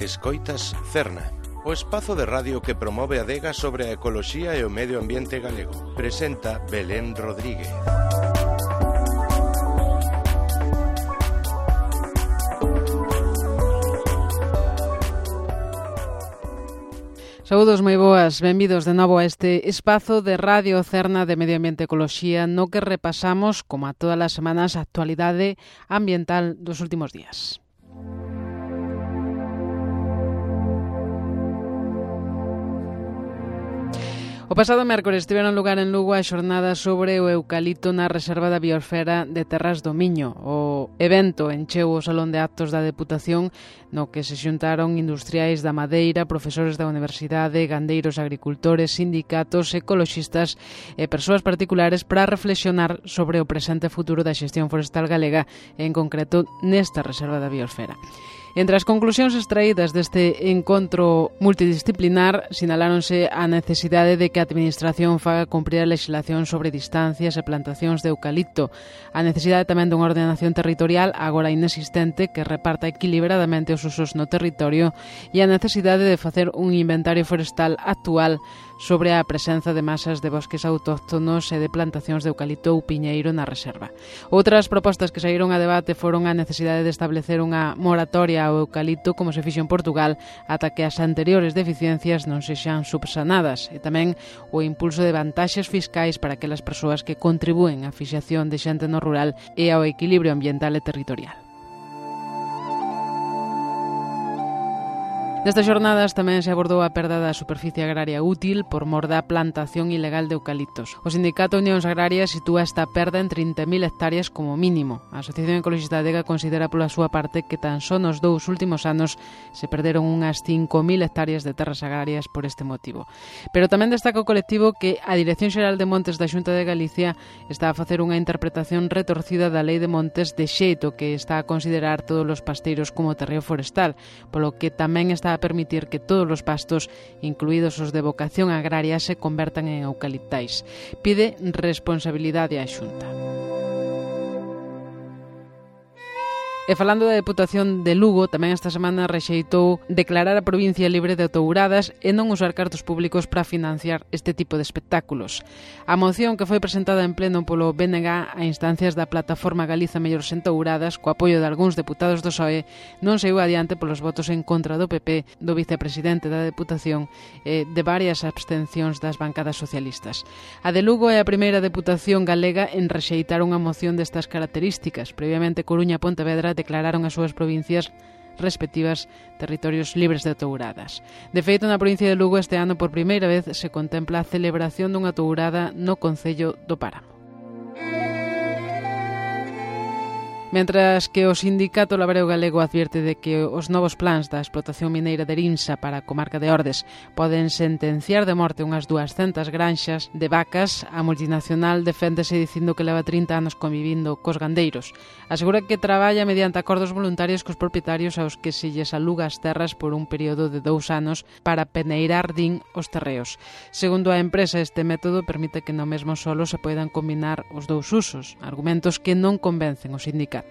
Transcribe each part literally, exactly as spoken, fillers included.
Escoitas Cerna, o espazo de radio que promove a adega sobre a ecoloxía e o medio ambiente galego. Presenta Belén Rodríguez. Saúdos moi boas, benvidos de novo a este espazo de Radio Cerna de Medio Ambiente e Ecoloxía no que repasamos, como a todas as semanas, a actualidade ambiental dos últimos días. O pasado mércores tiveron lugar en Lugo a xornada sobre o eucalipto na Reserva da Biosfera de Terras do Miño. O evento encheu o Salón de Actos da Deputación no que se xuntaron industriais da madeira, profesores da universidade, gandeiros, agricultores, sindicatos, ecoloxistas e persoas particulares para reflexionar sobre o presente e futuro da xestión forestal galega, en concreto nesta Reserva da Biosfera. Entre as conclusións extraídas deste encontro multidisciplinar, sinaláronse a necesidade de que a Administración faga cumprir a legislación sobre distancias e plantacións de eucalipto, a necesidade tamén dunha ordenación territorial agora inexistente que reparta equilibradamente os usos no territorio e a necesidade de facer un inventario forestal actual sobre a presenza de masas de bosques autóctonos e de plantacións de eucalipto ou piñeiro na reserva. Outras propostas que saíron a debate foron a necesidade de establecer unha moratoria ao eucalipto como se fixo en Portugal ata que as anteriores deficiencias non sexan subsanadas e tamén o impulso de vantaxes fiscais para aquelas persoas que contribúen á fixación de xente no rural e ao equilibrio ambiental e territorial. Nestas xornadas tamén se abordou a perda da superficie agraria útil por mor da plantación ilegal de eucaliptos. O Sindicato Unións Agrarias sitúa esta perda en trinta mil hectáreas como mínimo. A Asociación Ecologista Adega considera pola súa parte que tan só nos dous últimos anos se perderon unhas cinco mil hectáreas de terras agrarias por este motivo. Pero tamén destaca o colectivo que a Dirección Xeral de Montes da Xunta de Galicia está a facer unha interpretación retorcida da Lei de Montes de xeito que está a considerar todos os pasteiros como terreo forestal, polo que tamén está a permitir que todos os pastos, incluídos os de vocación agraria, se convertan en eucaliptais. Pide responsabilidade á Xunta. E falando da Deputación de Lugo, tamén esta semana rexeitou declarar a provincia libre de touradas e non usar cartos públicos para financiar este tipo de espectáculos. A moción que foi presentada en pleno polo B N G a instancias da Plataforma Galiza Mellor Sen Touradas, co apoio de algúns deputados do P S O E, non saiu adiante polos votos en contra do P P, do vicepresidente da Deputación e de varias abstencións das bancadas socialistas. A de Lugo é a primeira deputación galega en rexeitar unha moción destas características. Previamente, Coruña e Pontevedra declararon as súas provincias respectivas territorios libres de touradas. De feito, na provincia de Lugo este ano por primeira vez se contempla a celebración dunha tourada no concello do Páramo. Mentras que o Sindicato Labreo Galego advierte de que os novos plans da explotación mineira de Rinsa para a comarca de Ordes poden sentenciar de morte unhas duascentas granxas de vacas, a multinacional deféndese dicindo que leva trinta anos convivindo cos gandeiros. Asegura que traballa mediante acordos voluntarios cos propietarios aos que se lles aluga as terras por un período de dous anos para peneirar, din, os terreos. Segundo a empresa, este método permite que no mesmo solo se poidan combinar os dous usos, argumentos que non convencen o sindicato.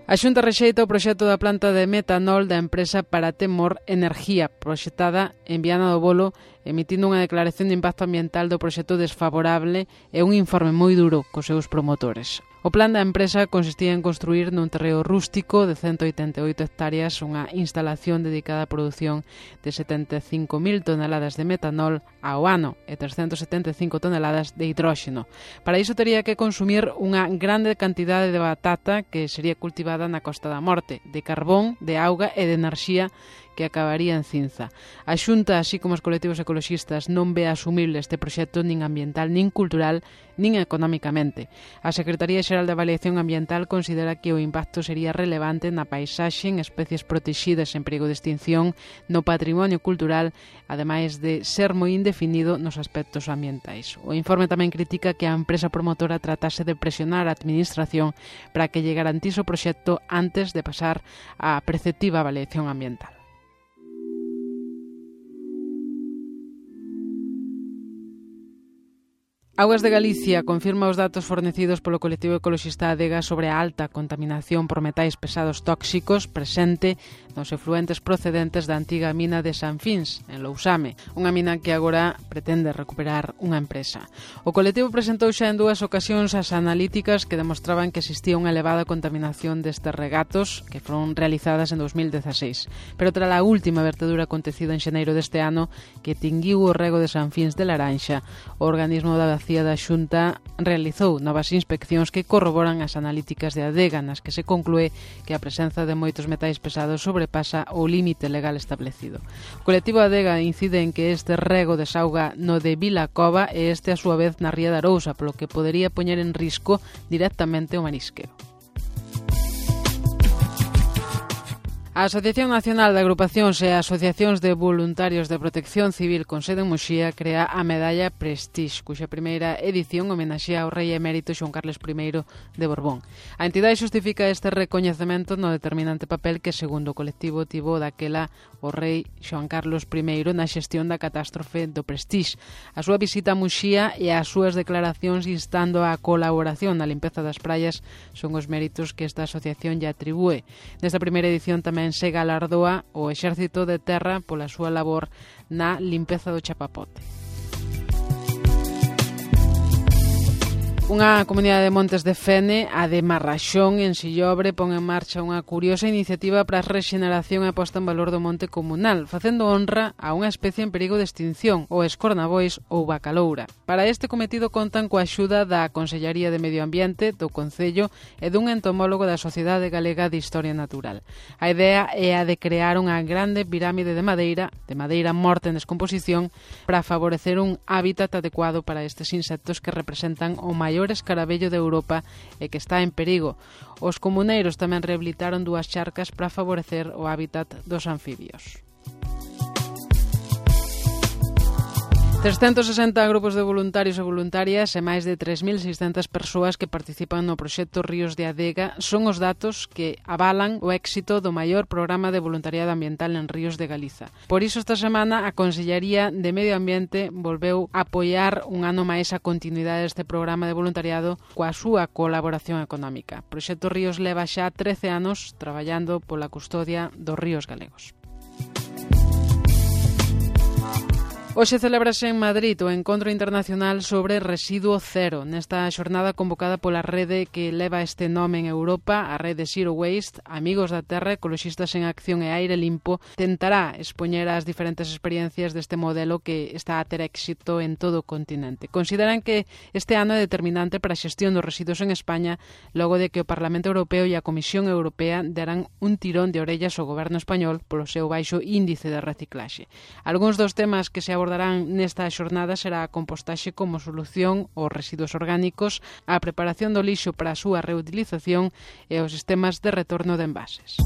A Xunta rexeita o proxecto da planta de metanol da empresa Paratemor Energía, proxectada en Viana do Bolo, emitindo unha declaración de impacto ambiental do proxecto desfavorable e un informe moi duro cos seus promotores. O plan da empresa consistía en construir nun terreo rústico de cento oitenta e oito hectáreas unha instalación dedicada á produción de setenta e cinco mil toneladas de metanol ao ano e trescentas setenta e cinco toneladas de hidróxeno. Para iso tería que consumir unha grande cantidade de batata que sería cultivada na Costa da Morte, de carbón, de auga e de enerxía que acabaría en cinza. A Xunta, así como os colectivos ecoloxistas, non ve asumible este proxecto nin ambiental, nin cultural, nin económicamente. A Secretaría Xeral de Avaliación Ambiental considera que o impacto sería relevante na paisaxe, en especies protexidas en perigo de extinción, no patrimonio cultural, ademais de ser moi indefinido nos aspectos ambientais. O informe tamén critica que a empresa promotora tratase de presionar a Administración para que lle garantise o proxecto antes de pasar á preceptiva avaliación ambiental. Augas de Galicia confirma os datos fornecidos polo colectivo ecoloxista Adega sobre a alta contaminación por metais pesados tóxicos presente nos efluentes procedentes da antiga mina de San Fins, en Lousame, unha mina que agora pretende recuperar unha empresa. O colectivo presentou xa en dúas ocasións as analíticas que demostraban que existía unha elevada contaminación destes regatos que foron realizadas en dos mil dezaseis. Pero tras a última vertedura acontecida en xaneiro deste ano que tinguiu o rego de San Fins de Laranxa, o organismo da da Xunta realizou novas inspeccións que corroboran as analíticas de Adega, nas que se conclúe que a presenza de moitos metais pesados sobrepasa o límite legal establecido. O colectivo Adega incide en que este rego desauga no de Vilacova e este a súa vez na ría de Arousa, polo que podería poñer en risco directamente o marisqueo. A Asociación Nacional de Agrupacións e Asociacións de Voluntarios de Protección Civil con sede en Muxía crea a medalla Prestige, cuxa primeira edición homenaxea ao rei emérito Xoán Carlos primeiro de Borbón. A entidade xustifica este recoñecemento no determinante papel que, segundo o colectivo, tivo daquela o rei Xoán Carlos primeiro na xestión da catástrofe do Prestige. A súa visita a Muxía e as súas declaracións instando a colaboración na limpeza das praias son os méritos que esta asociación lle atribúe. Nesta primeira edición tamén se galardoa o Exército de Terra pola súa labor na limpeza do chapapote. Unha comunidade de Montes de Fene, a de Marraxón, en Sillobre, pon en marcha unha curiosa iniciativa para a rexeneración e posta en valor do monte comunal, facendo honra a unha especie en perigo de extinción, o escornabois ou bacaloura. Para este cometido contan coa axuda da Consellaría de Medio Ambiente, do Concello e dun entomólogo da Sociedade Galega de Historia Natural. A idea é a de crear unha grande pirámide de madeira, de madeira morta en descomposición, para favorecer un hábitat adecuado para estes insectos que representan o maior escarabello de Europa e que está en perigo. Os comuneiros tamén rehabilitaron dúas charcas para favorecer o hábitat dos anfibios. trescentos sesenta grupos de voluntarios e voluntarias e máis de tres mil seiscentas persoas que participan no proxecto Ríos de Adega son os datos que avalan o éxito do maior programa de voluntariado ambiental en Ríos de Galiza. Por iso esta semana a Consellería de Medio Ambiente volveu apoiar un ano máis a continuidade deste programa de voluntariado coa súa colaboración económica. O proxecto Ríos leva xa trece anos traballando pola custodia dos ríos galegos. Hoxe celebrase en Madrid o Encontro Internacional sobre Residuo Cero, nesta xornada convocada pola rede que leva este nome en Europa, a rede Zero Waste. Amigos da Terra, Ecoloxistas en Acción e Aire Limpo tentará expoñer as diferentes experiencias deste modelo que está a ter éxito en todo o continente. Consideran que este ano é determinante para a xestión dos residuos en España, logo de que o Parlamento Europeo e a Comisión Europea darán un tirón de orellas ao goberno español polo seu baixo índice de reciclaxe. Algúns dos temas que se abordan abordarán nesta xornada será a compostaxe como solución aos residuos orgánicos, a preparación do lixo para a súa reutilización e os sistemas de retorno de envases.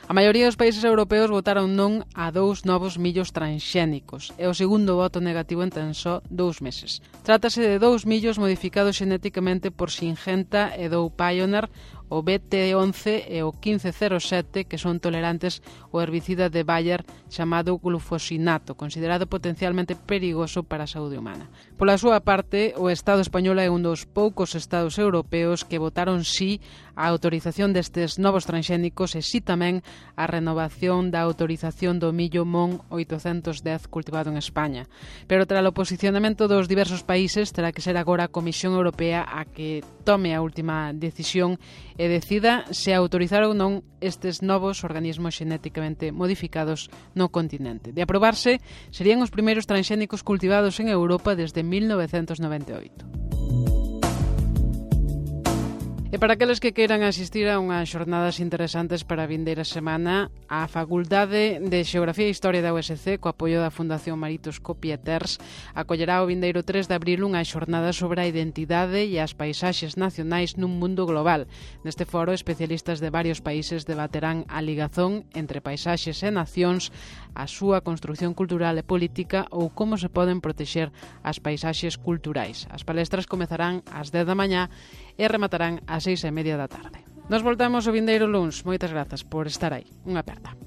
A maioría dos países europeos votaron non a dous novos millos transxénicos. É o segundo voto negativo en tan só dous meses. Trátase de dous millos modificados xenéticamente por Syngenta e Dow Pioneer, o B T once e o quince cero sete, que son tolerantes ao herbicida de Bayer chamado glufosinato, considerado potencialmente perigoso para a saúde humana. Pola súa parte, o Estado español é un dos poucos estados europeos que votaron sí a autorización destes novos transxénicos e sí tamén a renovación da autorización do millo MON oitocentos dez cultivado en España. Pero tras o posicionamento dos diversos países, terá que ser agora a Comisión Europea a que tome a última decisión e decida se autorizar ou non estes novos organismos xenéticamente modificados no continente. De aprobarse, serían os primeiros transxénicos cultivados en Europa desde mil novecentos noventa e oito. E para aqueles que queiran asistir a unhas xornadas interesantes para a vindeira semana, a Facultade de Xeografía e Historia da U S C, co apoio da Fundación Maritosco Pieters, acollerá o vindeiro tres de abril unha xornada sobre a identidade e as paisaxes nacionais nun mundo global. Neste foro, especialistas de varios países debaterán a ligazón entre paisaxes e nacións, a súa construción cultural e política ou como se poden protexer as paisaxes culturais. As palestras comezarán ás dez da mañá e rematarán ás seis e media da tarde. Nos voltamos o vindeiro luns. Moitas grazas por estar aí. Unha aperta.